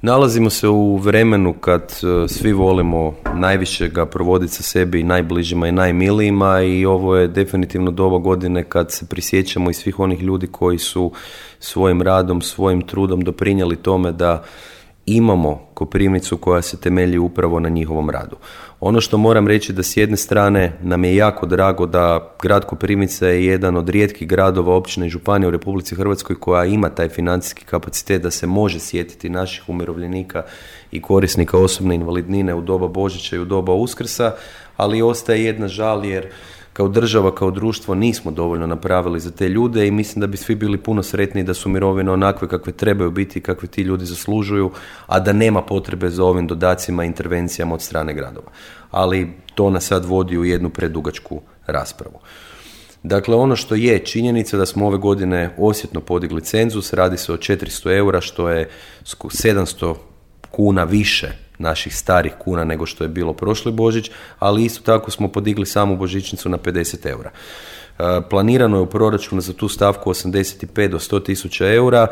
Nalazimo se u vremenu kad svi volimo najviše ga provoditi sa sebi, najbližima i najmilijima, i ovo je definitivno doba godine kad se prisjećamo i svih onih ljudi koji su svojim radom, svojim trudom doprinijeli tome da imamo Koprivnicu koja se temelji upravo na njihovom radu. Ono što moram reći da s jedne strane nam je jako drago da grad Koprivnica je jedan od rijetkih gradova, općina i županija u Republici Hrvatskoj koja ima taj financijski kapacitet da se može sjetiti naših umirovljenika i korisnika osobne invalidnine u doba Božića i u doba Uskrsa, ali ostaje jedna žal jer kao država, kao društvo nismo dovoljno napravili za te ljude i mislim da bi svi bili puno sretniji da su mirovine onakve kakve trebaju biti i kakve ti ljudi zaslužuju, a da nema potrebe za ovim dodacima i intervencijama od strane gradova. Ali to nas sad vodi u jednu predugačku raspravu. Dakle, ono što je činjenica da smo ove godine osjetno podigli cenzus, radi se o 400 eura, što je 700 kuna više naših starih kuna nego što je bilo prošli Božić, ali isto tako smo podigli samu božićnicu na 50 eura. Planirano je u proračunu za tu stavku 85 do 100 tisuća eura.